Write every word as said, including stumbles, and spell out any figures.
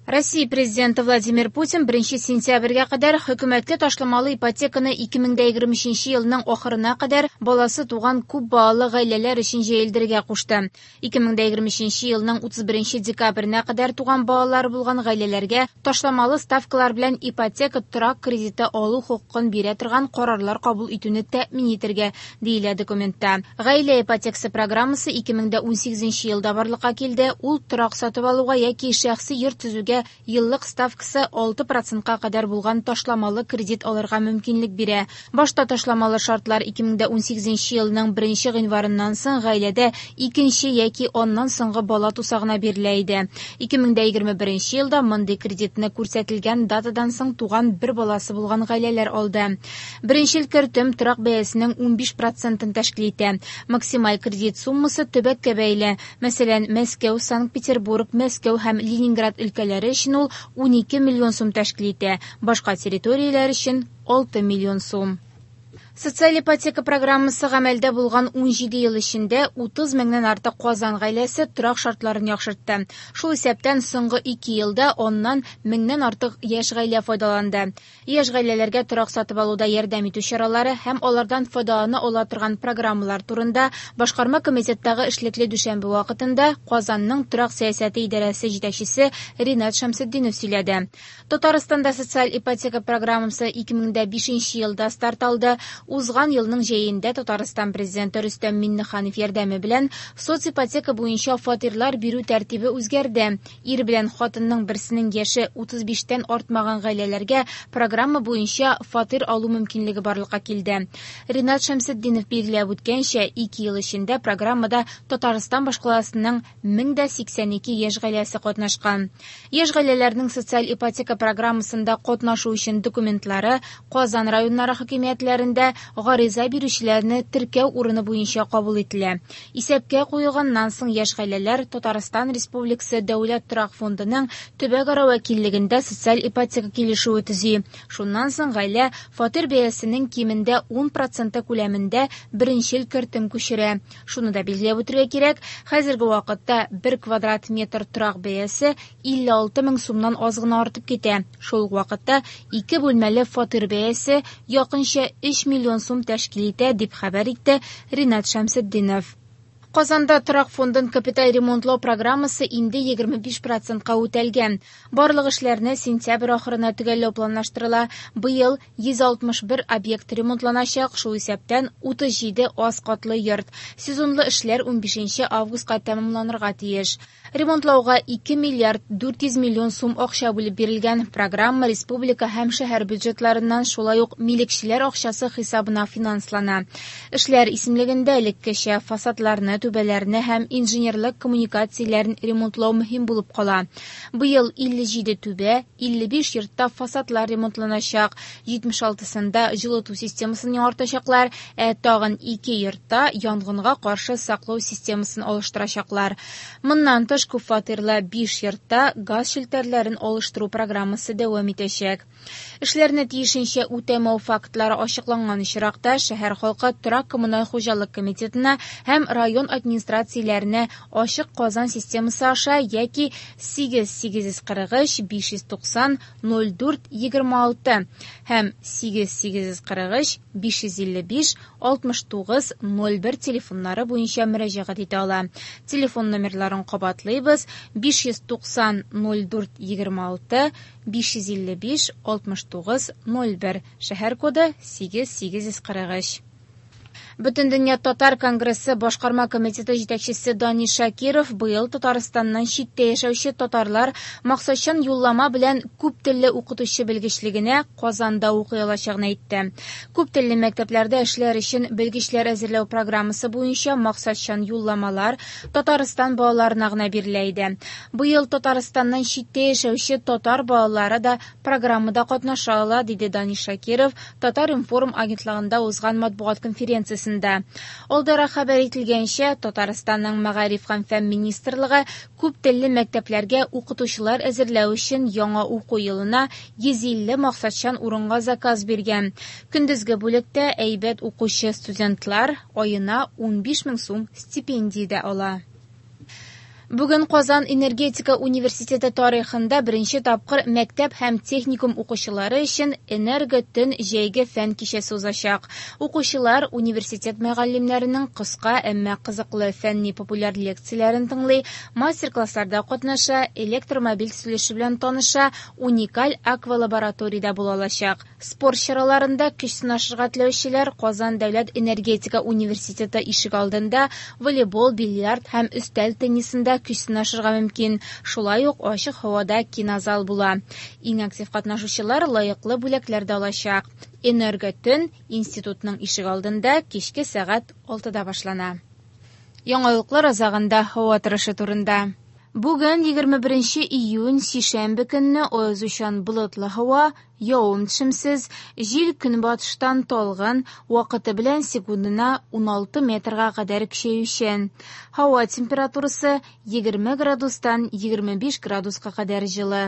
Россия президенты Владимир Путин беренче сентябрьгә кадәр хөкүмәткә ташламалы ипотеканы ике мең дә егерме өченче елның ахырына кадәр баласы туган күп балалы гаиләләр өчен җәелдерергә кушты. Ике мең дә егерме өченче елның утыз беренче декабренә кадәр туган балалары булган гаиләләргә ташламалы ставкалар белән ипотека торак кредиты алу хокукын бирә торган карарлар кабул итүне тәэмин итәргә, диелә документта. Гаилә ипотекасы программасы ике мең дә унсигезенче елда барлыкка килде. Ул торак сатып алуга яки шәхси йорт төзүгә еллык ставкасы алты процентка кадәр булган ташламалы кредит алырга мөмкинлек бирә. Башта ташламалы шартлар ике мең дә унсигезенче елның беренче гыйнварыннан соң гаиләдә икенче яки аннан соңгы бала туса гына бирелә иде. Ике мең дә егерме беренче елда мондый кредитны күрсәтелгән датадан соң туган бер баласы булган гаиләләр алды. Беренчел кертем торак бәясенең унбиш процентын тәшкил итә. Максималь кредит суммасы төбәккә бәйле. Мәсәлән, Мәскәү, Санкт-Петербург, Мәскәү һәм Ленинград өлкәләре өчен ул унике миллион сум тәшкил итә. Башка территорияләр өчен алты миллион сум. Социаль ипотека программасы гамәлдә булган унҗиде ел эчендә утыз меңнән артык Казан гаиләсе торак шартларын яхшыртты. Шул исәптән соңгы ике елда аннан меңнән артык яшь гаилә файдаланды. Яшь гаиләләргә торак сатып алуда ярдәм итү чаралары һәм алардан файдалана ала торган программалар турында Башкарма комитеттагы эшлекле дүшәмбе вакытында Казанның торак сәясәте идарәсе җитәкчесе Ринат Шәмсетдинов сөйләде. Татарстанда социаль ипотека программасы ике мең дә бишенче елда старт алды. Узган елның җәендә Татарстан президенты Рөстәм Миңнеханов ярдәме белән соципотека буенча фатирлар бирү тәртибе үзгәрде. Ир белән хатынның берсенең яше утыз биштән артмаган гаиләләргә программа буенча фатир алу мөмкинлеге барлыкка килде. Ринат Шәмсетдинов билгеләп үткәнчә, ике ел эчендә программада Татарстан башкаласының мең дә сиксән ике яшь гаиләсе катнашкан. Яшь гаиләләрнең социаль ипотека программасында катнашу өчен документлары Казан районнары хакимиятләрендә гариза бирүчеләрне теркәү урыны буенча кабул ителә. Исәпкә куелганнан соң яшь гаиләләр Татарстан Республикасы Дәүләт торак фондының төбәкара вәкиллегендә социаль ипотека килешүе төзи. Шуннан соң гаилә фатир бәясенең кимендә ун проценты күләмендә беренчел кертем күчерә. Шуны да билгеләп үтәргә кирәк, хәзерге вакытта бер квадрат метр торак бәясе илле алты мең сумнан аз гына артып китә. Шул ук вакытта ике бүлмәле фатир бәясе якынча өч миллион сум тәшкил итә, дип хәбәр итте Ринат Шәмсетдинов. Казанда торак фондын капиталь ремонтлау программасы инде егерме биш процентка үтәлгән. Барлык эшләрне сентябрь ахырына төгәлләү планлаштырыла. Быел йөз алтмыш бер объект ремонтланачак, шул исәптән утыз җиде аз катлы йорт. Сезонлы эшләр унбишенче августка тәмамланырга тиеш. Ремонтлауга ике миллиард дүрт йөз миллион сум акча бүлеп бирелгән. Программа республика һәм шәһәр бюджетларыннан шулай ук милекчеләр акчасы хисабына финанслана. Эшләр исемлегендә элеккечә фасадларны, түбәләрне һәм инженерлык коммуникацияләрен ремонтлау мөһим булып кала. Быел илле җиде түбә, илле биш йортта фасадлар ремонтланачак, җитмеш алтысында җылыту системасын яңартачаклар, ә тагын ике йортта янгынга каршы саклау системасын алыштырачаклар. Моннан тыш күп фатирлы биш йортта газ челтәрләрен алыштыру программасы дәвам итәчәк. Эшләрне тиешенчә үтәмәү фактлары ачыкланган очракта шәһәр халкы торак коммуналь хуҗалык комитетына һәм район администрацияләренә ачык Казан системасы аша яки сигез сигез йөз кырык өч биш йөз туксан ноль дүрт егерме алты һәм сигез сигез йөз кырык өч биш йөз илле биш алтмыш тугыз ноль бер телефоннары буенча мөрәҗәгать итә ала. Телефон номерларын кабатлыйбыз: биш йөз туксан ноль дүрт егерме алты, биш йөз илле биш алтмыш тугыз ноль бер, шәһәр коды сигез сигез йөз кырык өч. Бөтендөнья татар конгрессы башкарма комитеты җитәкчесе Данис Шакиров быел Татарстаннан читтә яшәүче татарлар максатчан юллама белән күп телле укытучы белгечлегенә Казанда укый алачагын әйтте. Күп телле мәктәпләрдә эшләр өчен белгечләр әзерләү программасы буенча максатчан юлламалар Татарстан балаларына гына бирелә иде. Быел Татарстаннан читтә яшәүче татар балалары да программада катнаша ала, диде Данис Шакиров Татар-информ агентлыгында узган матбугат конференциясендә. Алдарак хәбәр ителгәнчә, Татарстанның Мәгариф һәм фән министрлыгы күп телле мәктәпләргә укытучылар әзерләү өчен яңа уку елына йөз илле максатчан урынга заказ биргән. Көндезге бүлектә әйбәт укучы студентлар аена унбиш мең сум стипендия дә ала. Бүген Казан энергетика университеты тарихында беренче тапкыр мәктәп һәм техникум укучылары өчен «Энерготөн» җәйге фән кичәсе узачак. Укучылар университет мөгаллимнәренең кыска, әмма кызыклы фәнни-популяр лекцияләрен тыңлый, мастер-классларда катнаша, электромобиль төзелеше белән таныша, уникаль аквалабораториядә була алачак. Спорт чараларында көч сынашырга теләүчеләр Казан дәүләт энергетика университеты ишегалдында волейбол, бильярд һәм өстәл теннисында көч сынашырга мөмкин. Шулай ук ачык һавада кинозал була. Иң актив катнашучылар лаеклы бүләкләр дә алачак. «Энерготөн» институтның ишегалдында кичке сәгать алтыда башлана. Яңалыклар азагында һава торышы турында. Бүген егерме беренче июнь, сишәмбе көнне аязучан болытлы һава, явым-төшемсез, җил көнбатыштан талгын, вакыты белән секундына уналты метрга кадәр көчәючән. Һава температурасы егерме градустан егерме биш градуска кадәр җылы.